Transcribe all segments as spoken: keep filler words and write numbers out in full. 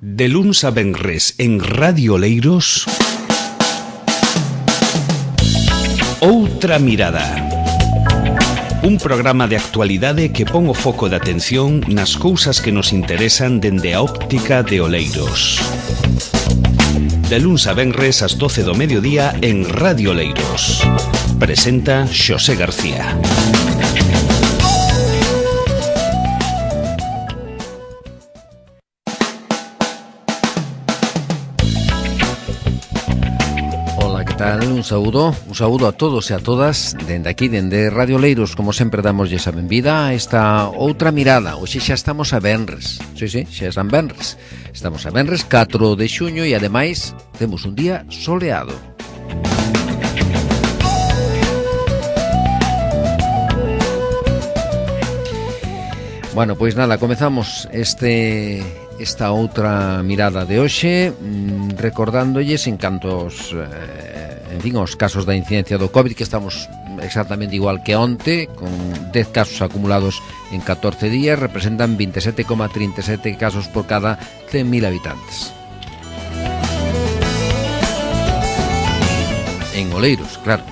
De luns a venres en Radio Oleiros, Outra Mirada. Un programa de actualidade que pon o foco de atención nas cousas que nos interesan dende a óptica de Oleiros. De luns a venres ás doce do mediodía en Radio Oleiros. Presenta Xosé García. Un saúdo, un saúdo a todos e a todas dende aquí, dende Radio Oleiros. Como sempre, damoslle a benvida a esta outra mirada. Hoxe xa estamos a venres. Sí, sí, xa están venres. Estamos a venres catro de xuño e ademais temos un día soleado. Bueno, pois nada, comezamos este esta outra mirada de hoxe, recordándolles en cantos eh, en fin, os casos da incidencia do COVID, que estamos exactamente igual que onte, con dez casos acumulados en catorce días, representan veintisiete coma treinta e sete casos por cada cen mil habitantes. En Oleiros, claro.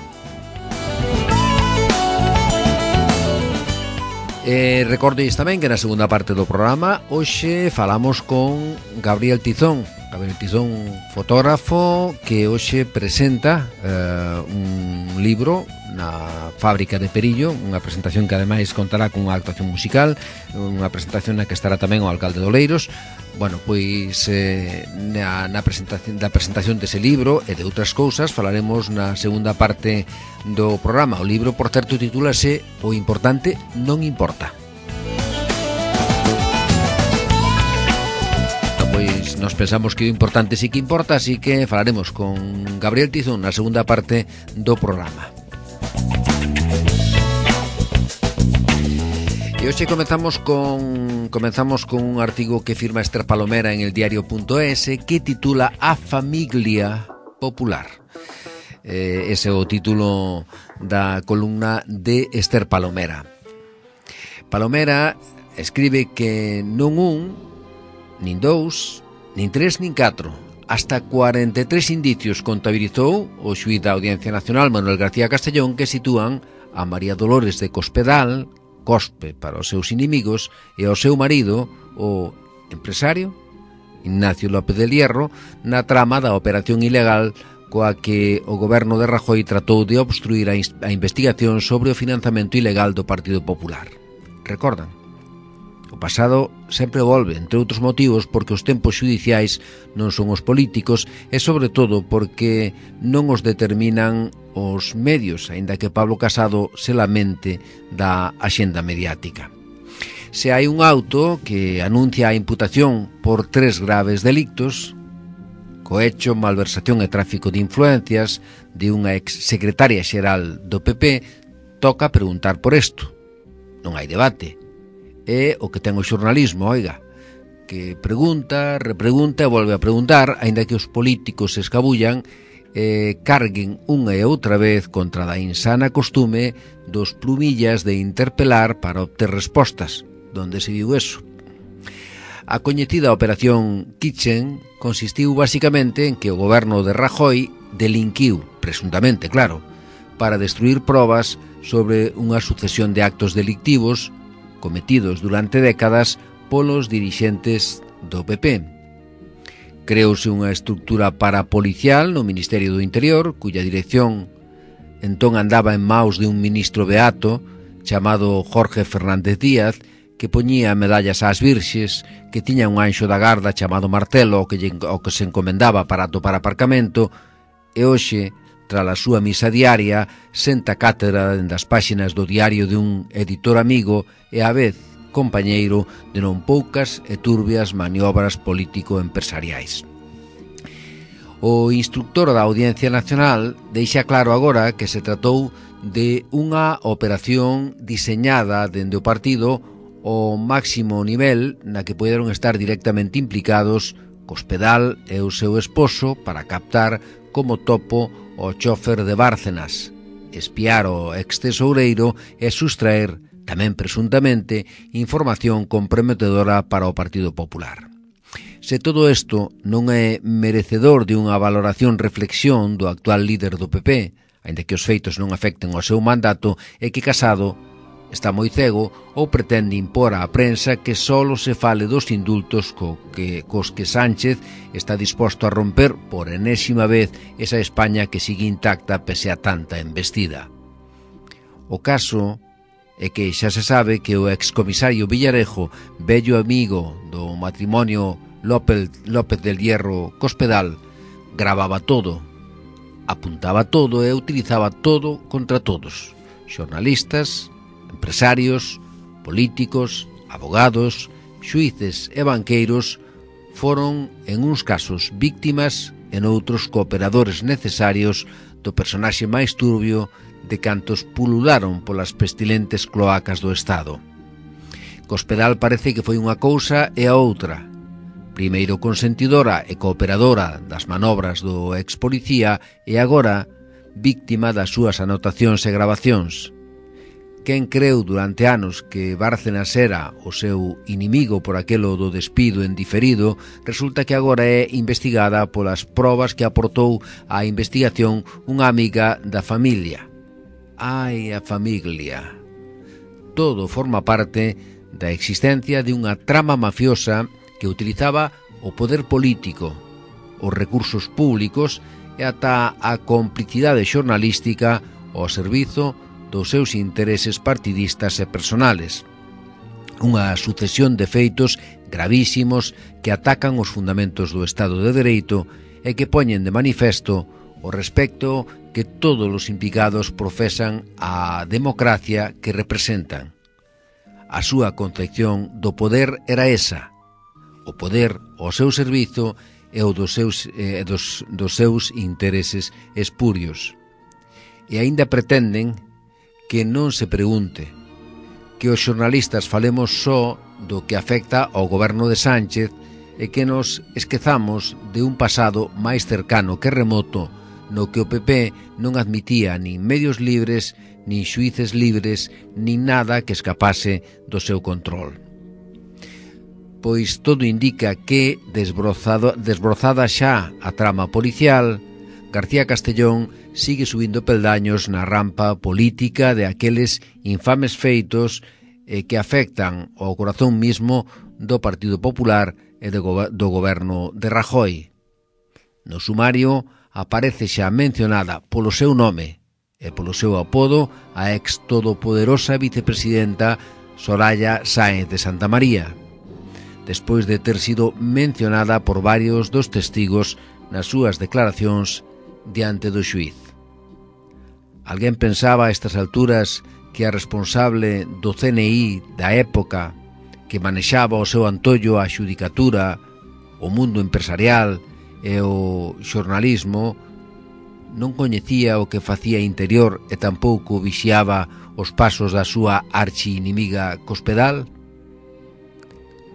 Eh, recordolles tamén que na segunda parte do programa hoxe falamos con Gabriel Tizón Gabriel Tizón, fotógrafo, que hoxe presenta eh, un libro na Fábrica de Perillo, unha presentación que ademais contará con unha actuación musical, unha presentación na que estará tamén o alcalde de Oleiros. Bueno, pois eh, na, na presentación da presentación dese libro e de outras cousas falaremos na segunda parte do programa. O libro, por certo, titúlase O importante non importa. Pois nos pensamos que o importante sí que importa, así que falaremos con Gabriel Tizón na segunda parte do programa. E hoxe comezamos con comezamos con un artigo que firma Esther Palomera en el diario punto es que titula A Famiglia Popular. Eh, ese é o título da columna de Esther Palomera. Palomera escribe que non un, nin dous, nin tres, nin catro, hasta cuarenta e tres indicios contabilizou o xuíz da Audiencia Nacional Manuel García Castellón, que sitúan a María Dolores de Cospedal, Cospe para os seus inimigos, e ao seu marido, o empresario Ignacio López del Hierro, na trama da operación ilegal coa que o goberno de Rajoy tratou de obstruir a, a investigación sobre o financiamento ilegal do Partido Popular. Recordan? O pasado sempre volve, entre outros motivos, porque os tempos xudiciais non son os políticos e, sobre todo, porque non os determinan os medios, aínda que Pablo Casado se lamente da axenda mediática. Se hai un auto que anuncia a imputación por tres graves delictos, cohecho, malversación e tráfico de influencias de unha ex-secretaria xeral do P P, toca preguntar por isto. Non hai debate. É o que ten o xornalismo, oiga, que pregunta, repregunta e volve a preguntar, aínda que os políticos se escabullan e carguen unha e outra vez contra da insana costume dos plumillas de interpelar para obter respostas. Donde se viu eso? A coñecida operación Kitchen consistiu basicamente en que o goberno de Rajoy delinquiu, presuntamente, claro, para destruir probas sobre unha sucesión de actos delictivos cometidos durante décadas polos dirixentes do P P. Creouse unha estructura parapolicial no Ministerio do Interior, cuya dirección entón andaba en maus de un ministro beato chamado Jorge Fernández Díaz, que poñía medallas ás virxes, que tiña un anxo da garda chamado Martelo, ao que, ao que se encomendaba para atopar aparcamento, e hoxe, tras a súa misa diaria, senta cátedra dende as páxinas do diario de un editor amigo e á vez compañeiro de non poucas e turbias maniobras político-empresariais. O instructor da Audiencia Nacional deixa claro agora que se tratou de unha operación diseñada dende o partido ao máximo nivel na que poderon estar directamente implicados Cospedal e o seu esposo para captar como topo o chofer de Bárcenas, espiar o ex-tesoureiro e sustraer, tamén presuntamente, información comprometedora para o Partido Popular. Se todo isto non é merecedor de unha valoración reflexión do actual líder do P P, aínda que os feitos non afecten ao seu mandato, é que Casado está moi cego ou pretende impor á prensa que solo se fale dos indultos co que, cos que Sánchez está disposto a romper por enésima vez esa España que sigue intacta pese a tanta embestida. O caso é que xa se sabe que o excomisario Villarejo, vello amigo do matrimonio López, López del Hierro Cospedal, gravaba todo, apuntaba todo e utilizaba todo contra todos, xornalistas, empresarios, políticos, abogados, xuíces e banqueiros. Foron, en uns casos, víctimas e noutros cooperadores necesarios do personaxe máis turbio de cantos pulularon polas pestilentes cloacas do Estado. Cospedal parece que foi unha cousa e a outra. Primeiro consentidora e cooperadora das manobras do ex-policía e agora víctima das súas anotacións e gravacións. Quen creu durante anos que Bárcenas era o seu inimigo por aquelo do despido en diferido, resulta que agora é investigada polas probas que aportou á investigación unha amiga da familia. Ai, a familia. Todo forma parte da existencia de unha trama mafiosa que utilizaba o poder político, os recursos públicos e ata a complicidade xornalística ao servizo dos seus intereses partidistas e personales. Unha sucesión de feitos gravísimos que atacan os fundamentos do Estado de Dereito e que poñen de manifesto o respecto que todos os implicados profesan á democracia que representan. A súa concepción do poder era esa, o poder ao seu servizo e o dos seus, eh, dos, dos seus intereses espurios. E aínda pretenden que non se pregunte, que os xornalistas falemos só do que afecta ao goberno de Sánchez e que nos esquezamos de un pasado máis cercano que remoto no que o P P non admitía nin medios libres, nin xuíces libres, nin nada que escapase do seu control. Pois todo indica que, desbrozado, desbrozada xa a trama policial, García Castellón sigue subindo peldaños na rampa política de aqueles infames feitos eh, que afectan ao corazón mismo do Partido Popular e de go do goberno de Rajoy. No sumario aparece xa mencionada polo seu nome e polo seu apodo a ex todopoderosa vicepresidenta Soraya Sáenz de Santamaría, despois de ter sido mencionada por varios dos testigos nas súas declaracións diante do xuíz. Alguén pensaba a estas alturas que a responsable do C N I da época, que manexaba o seu antollo a xudicatura, o mundo empresarial e o xornalismo, non coñecía o que facía Interior e tampouco vixiaba os pasos da súa archi-inimiga Cospedal?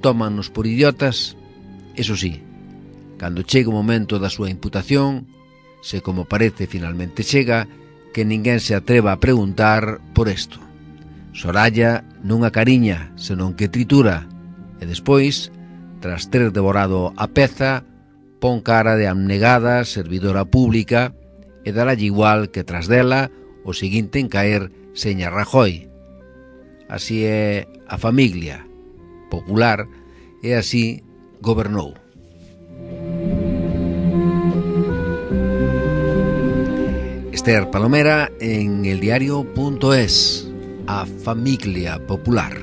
Tómannos por idiotas? Eso sí, cando chega o momento da súa imputación, se como parece finalmente chega, que ninguén se atreva a preguntar por isto. Soraya non acariña, senón que tritura, e despois, tras ter devorado a peza, pon cara de abnegada servidora pública e darálle igual que tras dela o seguinte en caer seña Rajoy. Así é a familia popular e así gobernou. Esther Palomera en eldiario.es, a familia popular.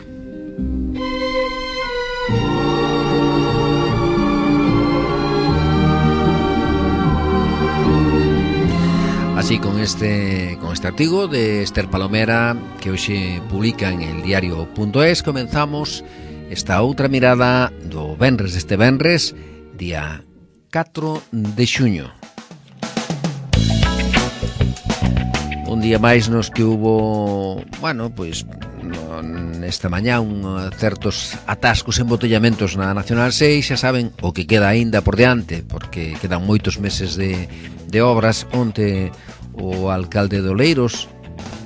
Así con este con este artigo de Esther Palomera que hoxe publica en eldiario.es comenzamos esta outra mirada do venres deste venres, día catro de xuño. Un día máis nos que hubo, bueno, pois esta mañá un certos atascos e embotellamentos na Nacional seis, xa saben o que queda aínda por diante, porque quedan moitos meses de, de obras. Onte o alcalde de Oleiros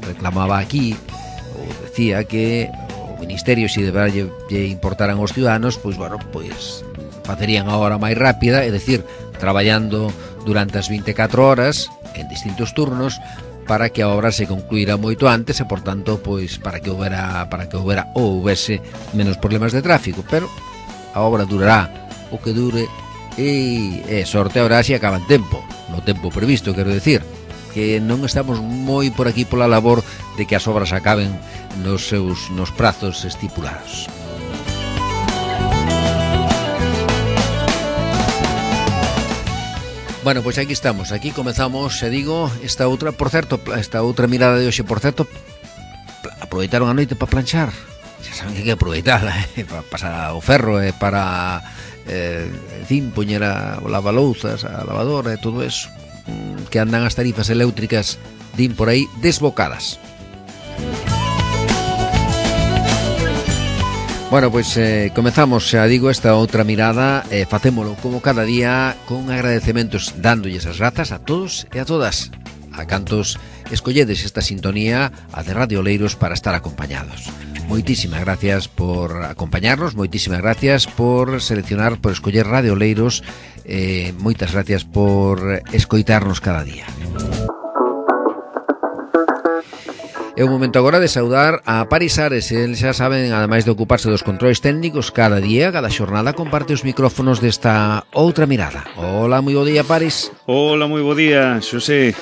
reclamaba aquí, ou decía que o Ministerio, se deberá lle importaran aos ciudadanos, pois, bueno, pois facerían a hora máis rápida, é dicir, traballando durante as vinte e catro horas en distintos turnos para que a obra se concluíra moito antes e, por tanto, pois para que houbera para que houbera ou houbese menos problemas de tráfico, pero a obra durará o que dure e, e sorte habrá se acaba en tempo, no tempo previsto, quero decir, que non estamos moi por aquí pola labor de que as obras acaben nos seus nos prazos estipulados. Bueno, pois aquí estamos, aquí comezamos, se digo, esta outra, por certo, esta outra mirada de hoxe, por certo, aproveitaron a noite para planchar. Xa saben que hai que aproveitarla, eh, para pasar o ferro, eh, para, eh, en fin, poñer a lavalouzas, a lavadora e todo eso, que andan as tarifas eléctricas, din por aí, desbocadas. Bueno, pois eh, comezamos, xa digo, esta outra mirada, eh, facémolo como cada día con agradecementos, dándolles as grazas a todos e a todas, a cantos escolledes esta sintonía, a de Radio Oleiros, para estar acompañados. Moitísimas gracias por acompañarnos, moitísimas gracias por seleccionar, por escoller Radio Oleiros, eh, moitas gracias por escoitarnos cada día. É o momento agora de saudar a Paris Ares. El, xa saben, ademais de ocuparse dos controles técnicos, cada día, cada xornada, comparte os micrófonos desta outra mirada. Hola, moi bo día, Paris. Hola, moi bo día, Xosé.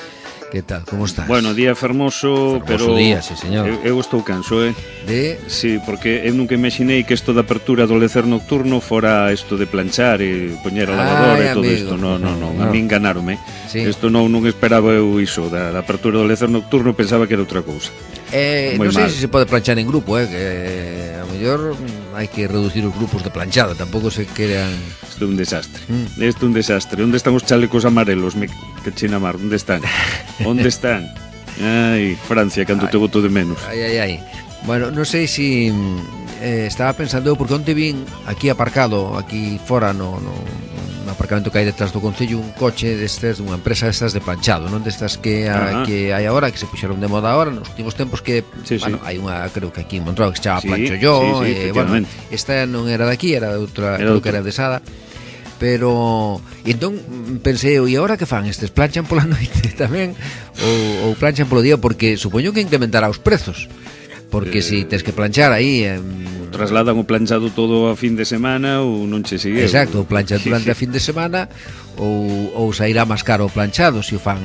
Que tal, como estás? Bueno, día fermoso, fermoso pero... día, sí, señor. Eu, eu estou canso, eh? De? Sí, porque eu nunca imaginei que isto da apertura do lecer nocturno fora isto de planchar e poñer a lavadora e todo isto. No, no, no, no, a mí enganarme. Sí. Isto non, non esperaba eu iso, da, da apertura do lecer nocturno, pensaba que era outra cousa. Eh, non sei se se pode planchar en grupo, eh, que a mellor hai que reducir os grupos de planchada, tampouco se queran... Isto é un desastre, mm. isto é un desastre. Onde están os chalecos amarelos? Me... Que china mar, onde están? Onde están? Ai, Francia, cando te boto de menos. Ai, ai, ai. Bueno, non sei se eh, estaba pensando eu, porque onte vin aquí aparcado, aquí fora no, no, no aparcamento que hai detrás do concello, un coche destes, dunha empresa destas de planchado, non destas que, a, que hai agora, que se puxeron de moda agora nos últimos tempos, que, sí, bueno, sí. hai unha, creo que aquí en Montrao, que se chama sí, Plancho Yo, sí, sí, eh, bueno, esta non era de aquí, era de outra, era creo que era de Sada. Pero, e entón pensei, e agora que fan estes? Planchan pola noite tamén ou, ou planchan polo día? Porque supoño que incrementará os prezos, porque eh, si tes que planchar aí eh, trasladan o planchado todo a fin de semana ou non che sigue. Exacto, o planchan durante a fin de semana ou, ou sairá máis caro o planchado se o fan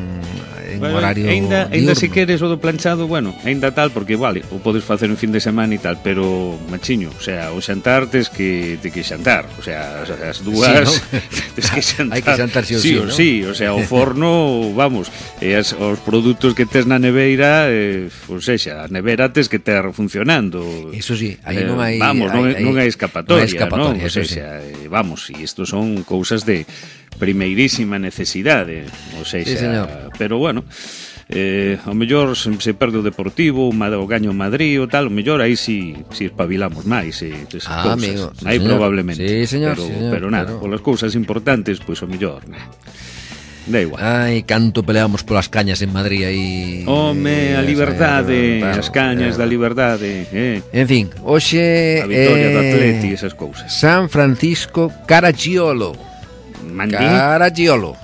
en bueno, horario ainda, diurno. ainda se queres o do planchado, bueno, ainda tal, porque vale, o podes facer en fin de semana e tal, pero machiño, o sea, o xantar tes que, te que xantar, o sea, as dúas sí, ¿no? tes que xantar. Hai que xantar si o sí, sí, ¿no? sí, o sea, o forno, vamos, e as, os produtos que tes na neveira, eh, ou sexa, a nevera tes que ter funcionando. Eso sí, aí eh, non hai vamos, non, hai, non hai escapatoria, non? Hai escapatoria, non? O sexa, sí. eh, vamos, e isto son cousas de primeirísima necesidade, o sea, sí, pero bueno, eh, ao mellor se, se perde o Deportivo, o gaño Madrid ou tal, ao mellor aí si, si espabilamos máis eh, esas ah, cousas, amigo, sí, aí señor. probablemente, sí, señor, pero, sí, señor, pero nada, pero... polas cousas importantes, pois ao mellor, nah. Da igual. Ai, canto peleamos polas cañas en Madrid aí. Home, a liberdade, as cañas da liberdade, eh. En fin, hoxe a vitória eh, do Atleti, esas cousas. San Francisco Caracciolo. Mandí? Caracciolo.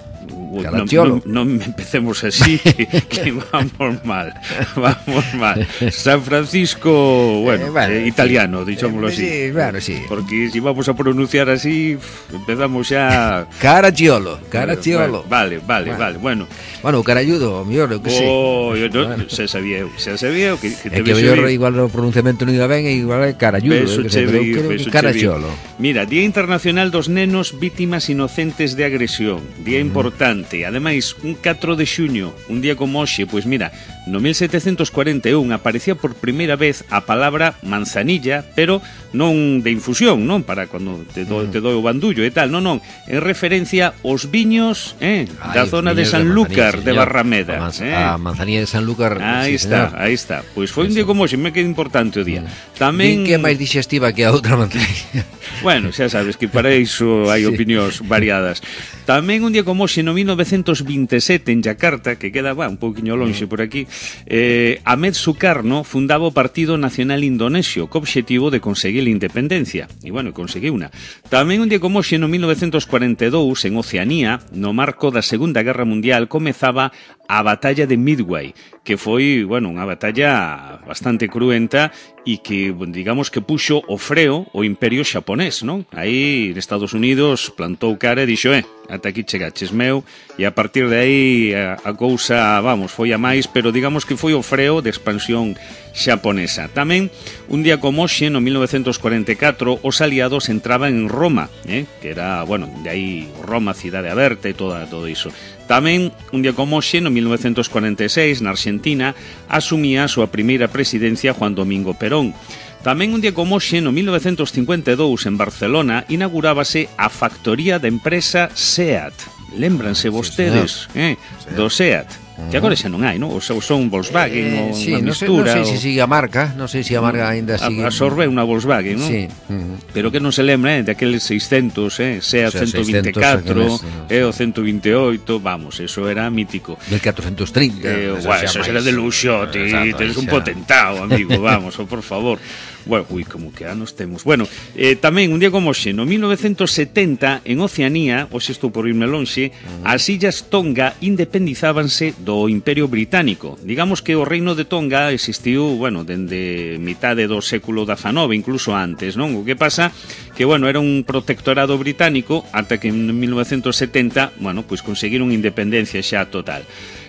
Non, non, non empecemos así, que vamos mal, vamos mal. San Francisco, bueno, eh, bueno eh, italiano, dichámoslo eh, así. Sí, claro, sí. Porque si vamos a pronunciar así, empezamos xa... Caracciolo, Caracciolo. Vale, vale, vale, vale, bueno. Bueno, caralludo, mellor, eu que sei. Oh, eu non, xa sabía eu, xa sabía eu que, que te é que mellor igual o pronunciamento non iba ben e igual é caralludo. Beso che vi, beso Caracciolo. Mira, Día Internacional dos Nenos Vítimas Inocentes de Agresión, día mm. importante. Ademais, un catro de xuño, un día como hoxe, pois mira, no mil setecentos cuarenta e un aparecía por primeira vez a palabra manzanilla, pero non de infusión, non? Para cando te do, te doi o bandullo e tal, non, non, en referencia aos viños, eh, da Ay, zona de Sanlúcar de, de Barrameda, a, manz eh. a manzanilla de Sanlúcar. Aí sí, está, señor. aí está. Pois foi un día como hoxe, me queda importante o día. Mm. Tamén que é máis dixestiva que a outra manzanilla. Bueno, xa sabes que para iso hai opinións sí. variadas. Tamén un día como hoxe, no mil novecentos vinte e sete, en Yakarta, que queda, va, un pouquiño lonxe por aquí, eh, Ahmed Sukarno fundaba o Partido Nacional Indonesio, co obxectivo de conseguir a independencia. E, bueno, conseguiu unha. Tamén un día como hoxe, no mil novecientos cuarenta e dous, en Oceanía, no marco da Segunda Guerra Mundial, comezaba a batalla de Midway, que foi, bueno, unha batalla bastante cruenta e que, digamos, que puxo o freo o imperio xaponés, non? Aí, Estados Unidos plantou cara e dixo, eh, ata aquí chegaches meu, e a partir de aí a, a cousa, vamos, foi a máis, pero digamos que foi o freo de expansión xaponesa. Tamén, un día como hoxe, no mil novecentos cuarenta e catro, os aliados entraban en Roma, eh, que era, bueno, de aí Roma, cidade aberta e toda, todo iso. Tamén, un día como hoxe, no mil novecentos cuarenta e seis, na Argentina, asumía a súa primeira presidencia Juan Domingo Perón. Tamén un día como hoxe, no mil novecentos cincuenta e dous, en Barcelona, inaugurábase a factoría da empresa SEAT. Lémbranse vostedes, sí, eh, do SEAT. Que agora xa non hai, non? Ou son Volkswagen, eh, ou sí, unha no mistura. Non sei se sigue a marca, non sei se a marca ainda sigue. Absorbe unha Volkswagen, non? Sí. Uh-huh. Pero que non se lembra, eh, de aqueles seiscentos, eh, SEAT o sea, ciento vinte e catro, eh, o ciento vinte e oito, vamos, eso era mítico. Del catorcentos trinta. Eh, bueno, eso era de luxo, ti, tenes un potentao, amigo, vamos, o por favor. Bueno, ui, como que anos temos. Bueno, eh, tamén, un día como hoxe, no mil novecentos setenta, en Oceanía, hoxe estou por irme lonxe, uh-huh. as illas Tonga independizábanse do Imperio Británico. Digamos que o reino de Tonga existiu, bueno, dende mitade do século dezanove, incluso antes, non? O que pasa que, bueno, era un protectorado británico ata que en mil novecentos setenta, bueno, pois conseguiron independencia xa total.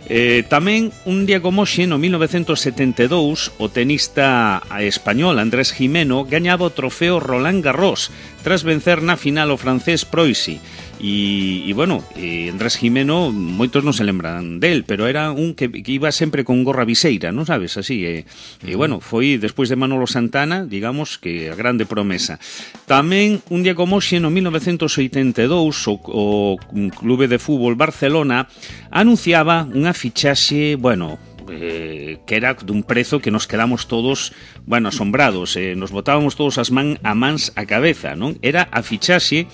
Eh, tamén, un día como hoxe, no mil novecentos setenta e dous, o tenista español Andrés Jimeno gañaba o trofeo Roland Garros tras vencer na final o francés Proisi. E, e bueno, eh, Andrés Jimeno, moitos non se lembran del, pero era un que, que iba sempre con gorra viseira, non sabes, así, e, e bueno, foi despois de Manolo Santana, digamos, que a grande promesa. Tamén, un día como hoxe, no mil novecentos oitenta e dous, o, o Clube de Fútbol Barcelona anunciaba unha fichaxe, bueno, eh, que era dun prezo que nos quedamos todos, bueno, asombrados, eh, nos botábamos todos as man, a mans a cabeza, non? Era a fichaxe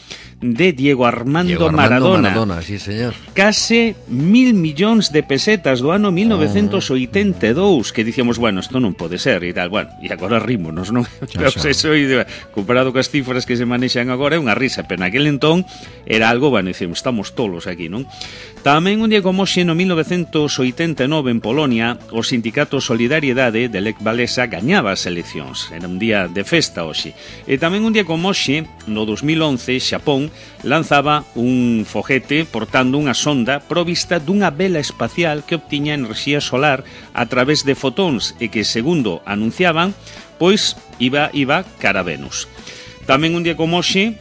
de Diego Armando, Diego Armando Maradona. Maradona, sí, señor. Case mil millóns de pesetas do ano mil novecentos oitenta e dous, que dicíamos, bueno, isto non pode ser e tal, bueno, e agora rímonos, non? Pero eso, comparado cas cifras que se manexan agora é unha risa, pero naquele entón era algo, bueno, dicimos, estamos tolos aquí, non? Tamén un día como hoxe, no mil novecentos oitenta e nove, en Polonia, o sindicato Solidariedade de Lech Walesa gañaba as eleccións. Era un día de festa hoxe. E tamén un día como hoxe, no dos mil once, Xapón lanzaba un foguete portando unha sonda provista dunha vela espacial que obtiña enerxía solar a través de fotóns e que, segundo anunciaban, pois iba, iba cara a Venus. Tamén un día como hoxe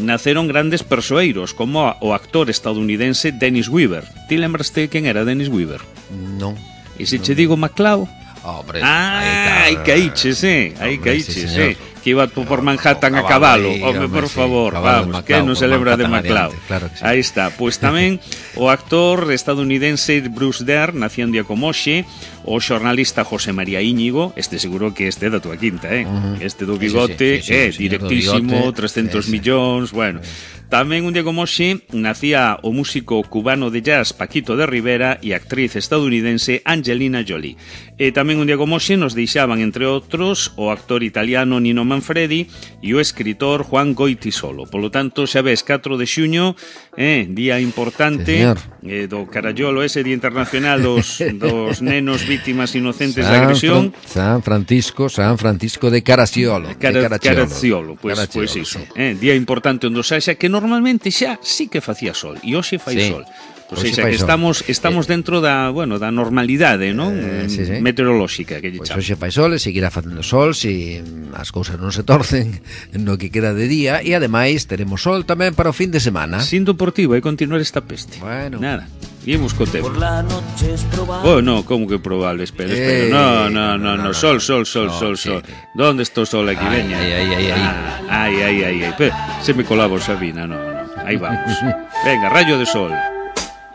naceron grandes persoeiros, como o actor estadounidense Dennis Weaver. Ti lembraste quen era Dennis Weaver? Non. E se non. che digo MacLeod? Hombre, ah, aí caíches, eh, aí caíches, eh. Que iba por Manhattan a cabalo, home, por favor, vamos, que non se lembra de MacLeod. Claro que sí. Aí está, pois tamén o actor estadounidense Bruce Dern, nacía un día como hoxe, o xornalista José María Íñigo, este seguro que este da tua quinta, eh? Uh-huh. Este do bigote, sí, sí, sí, eh, sí, directísimo, bigote, trescentos sí, millóns, bueno. Tamén un día como hoxe nacía o músico cubano de jazz Paquito de Rivera e a actriz estadounidense Angelina Jolie. E tamén un día como hoxe nos deixaban, entre outros, o actor italiano Nino Manfredi e o escritor Juan Goytisolo. Polo tanto, xa ves, catro de xuño, eh, día importante, eh, do carallolo, ese Día Internacional dos, dos nenos vítimas inocentes San de agresión. Fran, San Francisco, San Francisco de Caracciolo. Cara, de Caracciolo. Caracciolo, pois pues, pues iso. Sí. Eh, día importante onde xa que normalmente xa sí que facía sol, e hoxe fai sí. sol. O sea, que estamos estamos eh, dentro da, bueno, da normalidade, non? Eh, sí, sí. Meteorolóxica que lle pues chamamos. Hoxe fai sol e seguirá facendo sol se si as cousas non se torcen no que queda de día, e ademais teremos sol tamén para o fin de semana. Sinto por ti, vai continuar esta peste. Bueno. Nada. Imos co tempo. Oh, no, como que probable? Espera, espera. Eh, no, no, no, no, no, sol, sol, sol, no, sol, sol. Sí. ¿Dónde está o sol aquí? Ay, veña. Ay, ay, ay, ay. Ah, ay, ay, ay, ay. Pero, se me colaba Sabina, no, no. Ahí vamos. Venga, rayo de sol.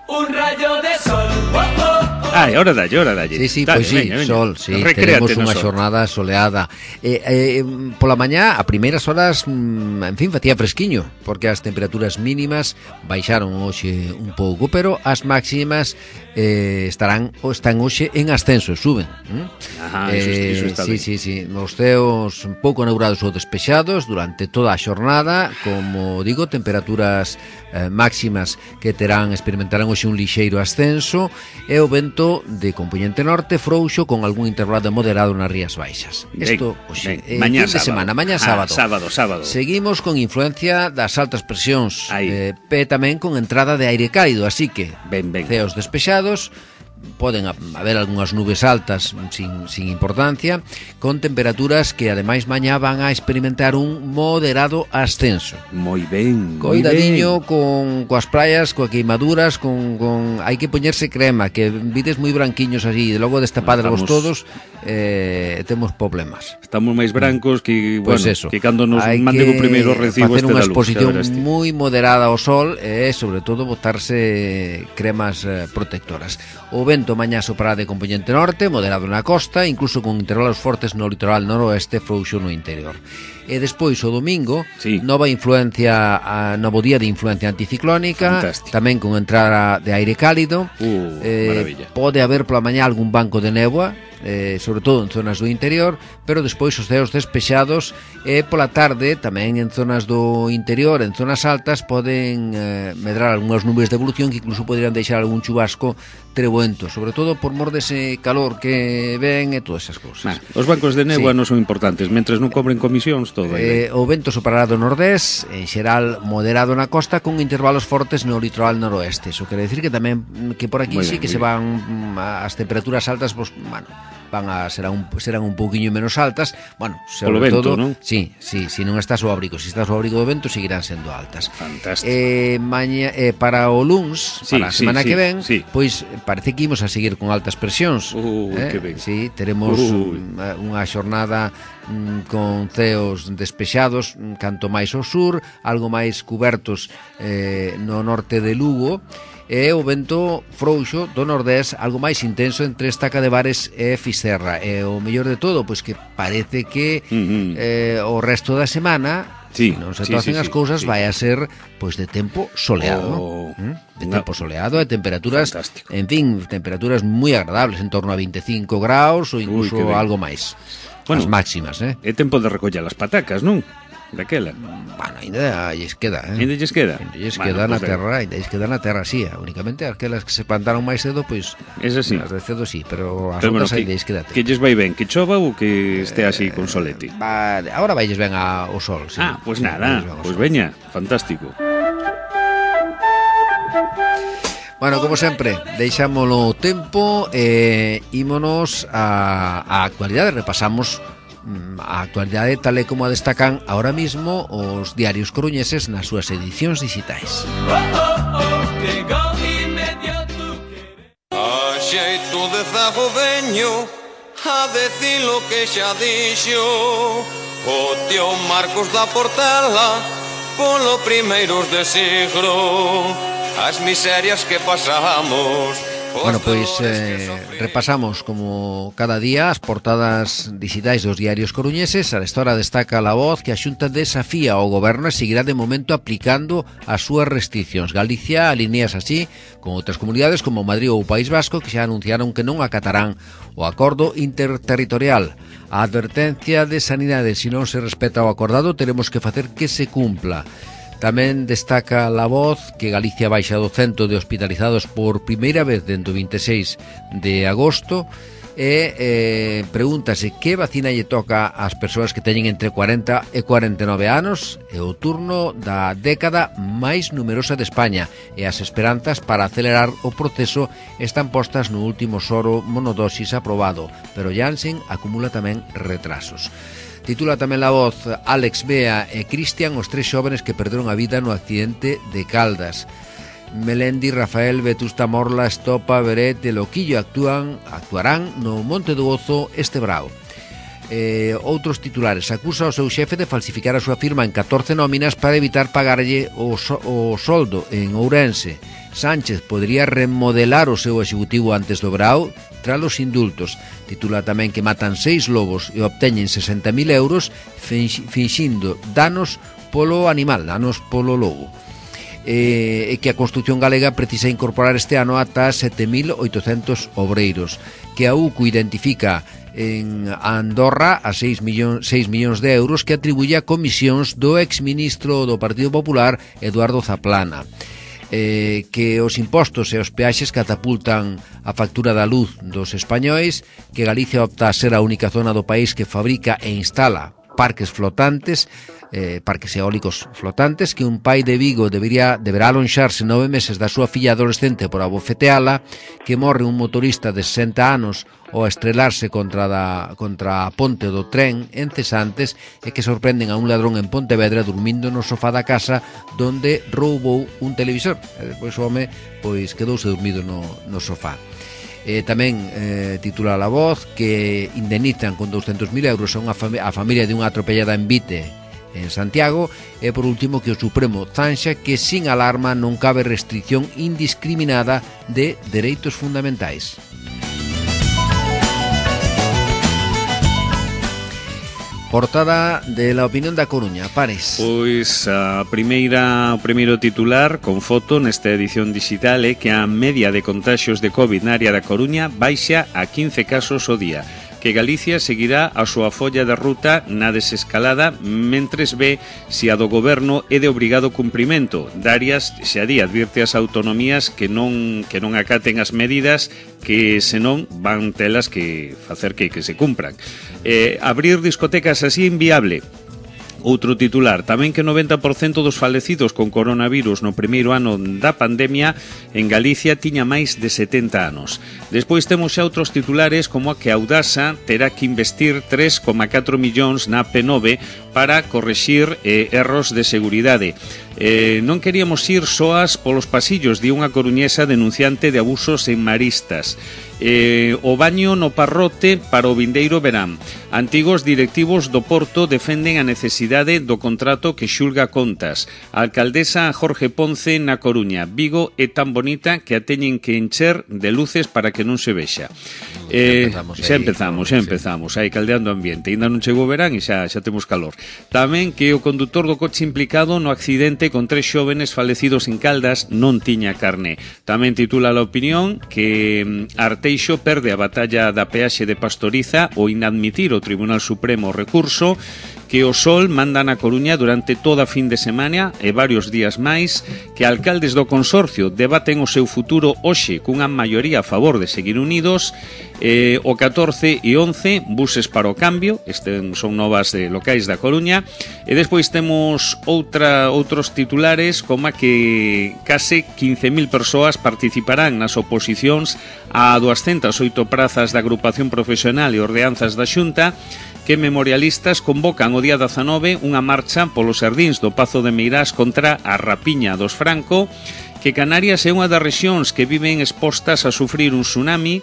Un rayo de sol. Oh, oh, oh. Ai, ahora dalle, ahora dalle. Sí, sí, Dale, pois sí, veña, veña. sol, sí, Recréate teremos unha no sol. xornada soleada. Eh, eh, pola mañá, a primeiras horas, mm, en fin, facía fresquiño, porque as temperaturas mínimas baixaron hoxe un pouco, pero as máximas eh, estarán ou están hoxe en ascenso, suben. ¿Mm? Ajá, iso, eh, iso está sí, ben. sí, sí, nos ceos un pouco nebrados ou despexados durante toda a xornada, como digo, temperaturas eh, máximas que terán experimentarán hoxe un lixeiro ascenso e o vento de componente norte frouxo con algún intervalo moderado nas Rías Baixas. Isto hoxe, eh, mañá fin de sábado. semana, mañá Ah, sábado. sábado, sábado. Seguimos con influencia das altas presións, Aí. eh, e tamén con entrada de aire cálido, así que Ben, ben. ceos despexados, poden haber algunhas nubes altas sin, sin importancia, con temperaturas que ademais mañá van a experimentar un moderado ascenso. Moi ben, moi Coidadiño ben. con coas praias, coas queimaduras, con, con hai que poñerse crema, que vides moi branquiños así, e logo destapadrevos Estamos- todos, eh, temos problemas. Estamos máis brancos que, Pois bueno, eso, que cando nos hai manden que o primeiro recibo facer este unha da luz, exposición xa verás ti. moi moderada ao sol e sobre todo botarse cremas eh, protectoras. O vento mañá soprará de componente norte, moderado na costa, incluso con intervalos fortes no litoral noroeste, frouxo no interior. E despois o domingo, Sí. nova influencia, a, novo día de influencia anticiclónica, Fantástico. tamén con entrada de aire cálido. Uh, Eh, maravilla. pode haber pola mañá algún banco de néboa, eh, sobre todo en zonas do interior, pero despois os ceos despexados e pola tarde tamén en zonas do interior, en zonas altas poden eh, medrar algunhas nubes de evolución que incluso poderían deixar algún chubasco trebuento, sobre todo por mor dese calor que ven e todas esas cousas. Nah, os bancos de néboa Sí. non son importantes, mentres non cobren comisións, todo aí. Eh, o vento soprará do nordés, en xeral moderado na costa, con intervalos fortes no litoral noroeste. Iso quere decir que tamén mm, que por aquí Moi sí ben, que moi se van mm, as temperaturas altas, pues, bueno, van a serán un, serán un pouquiño menos altas. Bueno, sobre Polo vento, todo, non? sí, sí, si non estás ao abrigo, si estás ao abrigo do vento seguirán sendo altas. Fantástico. Eh, maña, eh, para o luns, Sí, para a sí, semana sí, que ven, sí. pois parece que imos a seguir con altas presións. Uh, eh? que ben. Sí, teremos Ui. mm, unha xornada mm, con ceos despexados, mm, canto máis ao sur, algo máis cubertos eh, no norte de Lugo, e o vento frouxo do nordés algo máis intenso entre Estaca de Bares e Fisterra. E o mellor de todo, pois que parece que Uh-huh. eh, o resto da semana, Sí, se non se sí, tocen sí, as sí, cousas, sí. vai a ser pois de tempo soleado, Oh, ¿no? De unha- tempo soleado e temperaturas, Fantástico. en fin, temperaturas moi agradables, en torno a veinticinco graus ou incluso Ui, que ben. algo máis. Bueno. As máximas, eh? É tempo de recoller as patacas, non? Daquela. Bueno, ainda lles queda, eh? Ainda lles queda? Ainda lles Bueno, queda na pues ben. terra, ainda lles queda na terra, sí, únicamente aquelas que se plantaron máis cedo, pois Esa sí. as de cedo sí, pero as Pero, bueno, outras que, ainda lles queda. que lles vai ben, que chova ou que este así con solete? Va, agora vailles ben ao sol, sí. Ah, pois Sí, nada, vailles ben ao pois sol. veña, fantástico. Bueno, como sempre, deixámolo o tempo e ímonos a, a actualidade, repasamos mm, a actualidade tal e como a destacan ahora mismo os diarios coruñeses nas súas edicións digitais. A xeito de zago veño a decir lo que xa dixo o tío Marcos da Portela polo primeiros de siglo as miserias que pasamos. os Bueno, pois dolores que eh, sofrimos. repasamos como cada día as portadas digitais dos diarios coruñeses. A esta hora destaca La Voz que a Xunta desafía ao goberno e seguirá de momento aplicando as súas restriccións. Galicia alineas así con outras comunidades como Madrid ou o País Vasco que xa anunciaron que non acatarán o acordo interterritorial. A advertencia de Sanidade, se non se respeta o acordado, teremos que facer que se cumpla. Tamén destaca La Voz que Galicia baixa do cento de hospitalizados por primeira vez dentro do vinte e seis de agosto e eh, pregúntase que vacina lle toca ás persoas que teñen entre cuarenta e cuarenta e nove anos. É o turno da década máis numerosa de España e as esperanzas para acelerar o proceso están postas no último soro monodosis aprobado, pero Janssen acumula tamén retrasos. Titula tamén La Voz Alex, Bea e Cristian, os tres xóvenes que perderon a vida no accidente de Caldas. Melendi, Rafael, Vetusta Morla, Estopa, Beret e Loquillo actúan, actuarán no Monte do Ozo este brao. Eh, outros titulares: acusa ao seu xefe de falsificar a súa firma en catorce nóminas para evitar pagarlle o, so, o soldo en Ourense. Sánchez podría remodelar o seu executivo antes do verao tras os indultos. Titula tamén que matan seis lobos e obteñen sesenta mil euros finxindo danos polo animal, danos polo lobo. E eh, que a Constitución galega precisa incorporar este ano ata sete mil oitocentos obreiros, que a U C U identifica en Andorra a seis millóns de euros que atribuye a comisións do exministro do Partido Popular Eduardo Zaplana. Eh, que os impostos e os peaxes catapultan a factura da luz dos españois, que Galicia opta a ser a única zona do país que fabrica e instala parques flotantes, eh, parques eólicos flotantes, que un pai de Vigo debería, deberá alonxarse nove meses da súa filla adolescente por abofeteala, que morre un motorista de sesenta anos ao estrelarse contra, da, contra a ponte do tren en Cesantes, e que sorprenden a un ladrón en Pontevedra dormindo no sofá da casa donde roubou un televisor. E despois o home pois quedouse dormido no, no sofá. Eh, tamén eh, titula La Voz que indemnizan con douscentos mil euros a, unha fami- a familia de unha atropellada en Vite, en Santiago. E por último que o Supremo zanxa que sin alarma non cabe restricción indiscriminada de dereitos fundamentais. Portada de La Opinión da Coruña, Pares. Pois a primeira, o primeiro titular con foto nesta edición digital é que a media de contaxios de COVID na área da Coruña baixa a quince casos ao día, que Galicia seguirá a súa folla de ruta na desescalada mentres ve se a do goberno é de obrigado cumprimento. Darias xa di advirte as autonomías que non que non acaten as medidas, que senón van telas que facer que, que se cumpran. Eh, abrir discotecas así é inviable. Outro titular, tamén que noventa por cento dos falecidos con coronavirus no primeiro ano da pandemia en Galicia tiña máis de setenta anos. Despois temos xa outros titulares como a que Audasa terá que investir tres coma catro millóns na P nove para correxir eh, erros de seguridade. Eh, non queríamos ir soas polos pasillos, di unha coruñesa denunciante de abusos en Maristas. Eh, o baño no Parrote para o vindeiro verán. Antigos directivos do Porto defenden a necesidade do contrato que xulga contas. A alcaldesa Jorge Ponce na Coruña. Vigo é tan bonita que a teñen que encher de luces para que non se vexa. Eh, xa empezamos, xa empezamos aí caldeando ambiente. Ainda non chegou o verán e xa, xa temos calor. Tamén que o condutor do coche implicado no accidente con tres xóvenes falecidos en Caldas non tiña carné. Tamén titula La Opinión que Arteixo perde a batalla da peaxe de Pastoriza ao inadmitir o Tribunal Supremo o recurso, que o Sol manda na Coruña durante toda a fin de semana e varios días máis, que alcaldes do consorcio debaten o seu futuro hoxe cunha maioría a favor de seguir unidos, eh, o catorce e once buses para o cambio, este son novas de locais da Coruña, e despois temos outra outros titulares como a que case quince mil persoas participarán nas oposicións a duascentas oito prazas da agrupación profesional e ordenanzas da Xunta, que memorialistas convocan o día dezanove unha marcha polos xardíns do Pazo de Meirás contra a rapiña dos Franco, que Canarias é unha das rexións que viven expostas a sufrir un tsunami,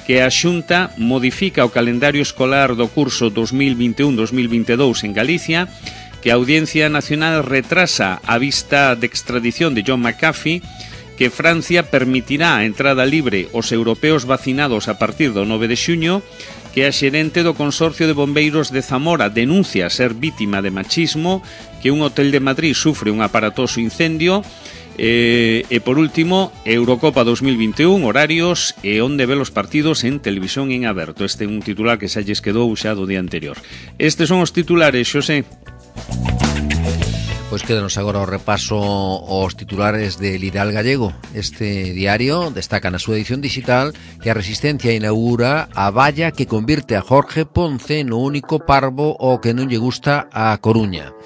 que a Xunta modifica o calendario escolar do curso dos mil vinte e un dos mil vinte e dous en Galicia, que a Audiencia Nacional retrasa a vista de extradición de John McAfee, que Francia permitirá a entrada libre aos europeos vacinados a partir do nove de xuño, que a xerente do Consorcio de Bombeiros de Zamora denuncia ser vítima de machismo, que un hotel de Madrid sufre un aparatoso incendio, e, e por último, Eurocopa dos mil vinte e un, horarios e onde ve os partidos en televisión en aberto. Este é un titular que xa lles quedou xa do día anterior. Estes son os titulares, Xosé. Pois quédanos agora o repaso aos titulares de Litoral Gallego. Este diario destaca na súa edición digital que a Resistencia inaugura a valla que convirte a Jorge Ponce no único parvo ao que non lle gusta a Coruña.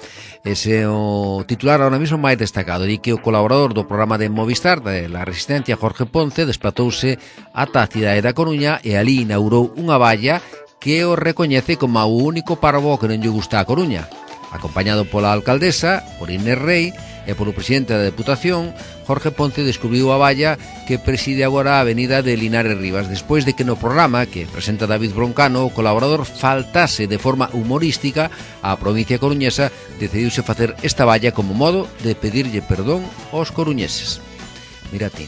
Ese é o titular ahora mismo máis destacado, di que o colaborador do programa de Movistar de la Resistencia, Jorge Ponce, desplatouse ata a cidade da Coruña e ali inaugurou unha valla que o recoñece como o único parvo ao que non lle gusta a Coruña. Acompañado pola alcaldesa, por Inés Rey e polo presidente da Deputación, Jorge Ponce descubriu a valla que preside agora a avenida de Linares Rivas, despois de que no programa que presenta David Broncano o colaborador faltase de forma humorística á provincia coruñesa, decidiuse facer esta valla como modo de pedirlle perdón aos coruñeses. Mira ti.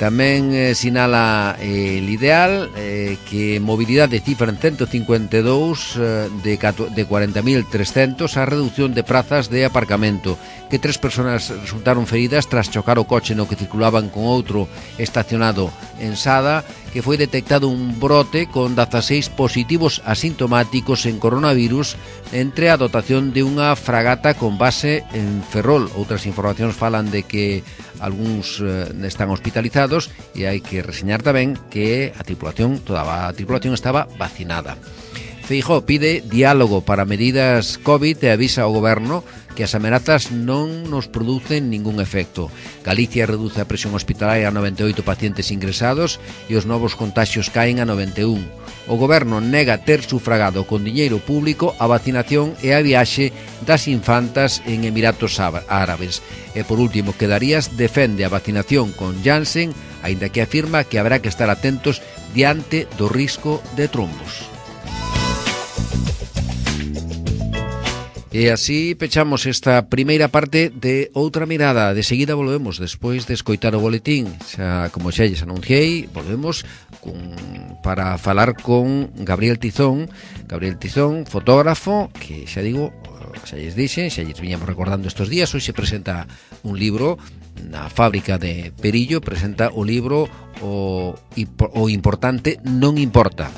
Tamén eh, sinala eh, el ideal eh, que mobilidade cifra en ciento cincuenta e dous eh, de, de cuarenta mil trescentos a reducción de prazas de aparcamento, que tres persoas resultaron feridas tras chocar o coche no que circulaban con outro estacionado en Sada, que foi detectado un brote con dezaseis positivos asintomáticos en coronavirus entre a dotación de unha fragata con base en Ferrol. Outras informacións falan de que algúns eh, están hospitalizados e hai que reseñar tamén que a tripulación, toda a tripulación estaba vacinada. Feijóo pide diálogo para medidas COVID e avisa ao goberno que as amenazas non nos producen ningún efecto. Galicia reduce a presión hospitalaria a noventa e oito pacientes ingresados e os novos contaxios caen a noventa e un. O goberno nega ter sufragado con diñeiro público a vacinación e a viaxe das infantas en Emiratos Árabes. E por último, Quedarías defende a vacinación con Janssen, aínda que afirma que habrá que estar atentos diante do risco de trombos. E así pechamos esta primeira parte de Outra Mirada. De seguida volvemos despois de escoitar o boletín. Xa, como xa lles anunciei, volvemos con, para falar con Gabriel Tizón. Gabriel Tizón, fotógrafo, que xa digo, xa lles dixen, xa lles viñamos recordando estes días. Hoxe se presenta un libro na fábrica de Perillo, presenta o libro O, o importante non importa.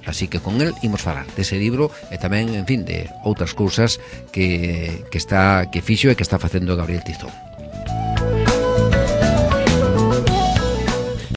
Así que con el imos falar dese libro e tamén, en fin, de outras cousas que, que está que fixo e que está facendo Gabriel Tizón.